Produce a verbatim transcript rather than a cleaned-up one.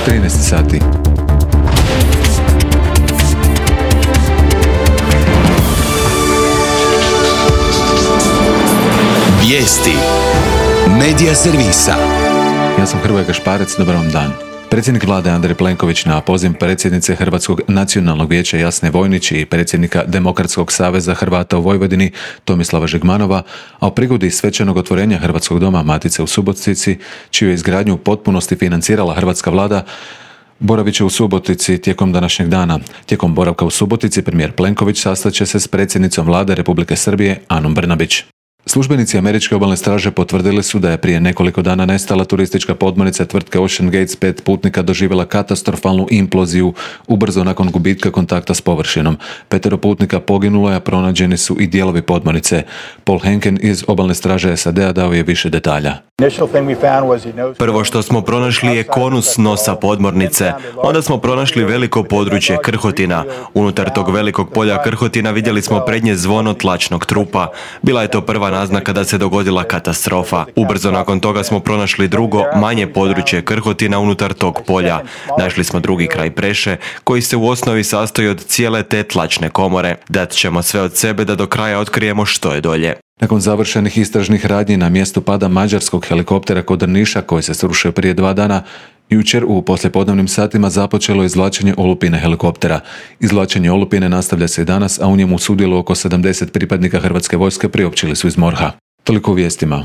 trinaest sati. Vijesti Medija servisa. Ja sam Hrvoje Gašparec, dobar vam dan. Predsjednik vlade Andrej Plenković na poziv predsjednice Hrvatskog nacionalnog vijeća Jasne Vojnić i predsjednika Demokratskog saveza Hrvata u Vojvodini Tomislava Žigmanova, a u prigodi svečanog otvorenja Hrvatskog doma Matice u Subotici, čiju je izgradnju u potpunosti financirala hrvatska vlada, boravit će u Subotici tijekom današnjeg dana. Tijekom boravka u Subotici premijer Plenković sastaće se s predsjednicom vlade Republike Srbije Anom Brnabić. Službenici američke obalne straže potvrdili su da je prije nekoliko dana nestala turistička podmornica tvrtke Ocean Gate s pet putnika doživjela katastrofalnu imploziju ubrzo nakon gubitka kontakta s površinom. Petero putnika poginulo je, a pronađeni su i dijelovi podmornice. Paul Henken iz obalne straže S A D-a dao je više detalja. Prvo što smo pronašli je konus nosa podmornice. Onda smo pronašli veliko područje krhotina. Unutar tog velikog polja krhotina vidjeli smo prednje zvono tlačnog trupa. Bila je to prva naznaka da se dogodila katastrofa. Ubrzo nakon toga smo pronašli drugo, manje područje krhotina unutar tog polja. Našli smo drugi kraj preše, koji se u osnovi sastoji od cijele te tlačne komore. Dat ćemo sve od sebe da do kraja otkrijemo što je dolje. Nakon završenih istražnih radnji na mjestu pada mađarskog helikoptera kod Drniša, koji se srušio prije dva dana, jučer u poslijepodnevnim satima započelo izvlačenje olupine helikoptera. Izvlačenje olupine nastavlja se i danas, a u njemu sudjeluje oko sedamdeset pripadnika Hrvatske vojske, priopćili su iz MORH-a. Toliko u vijestima.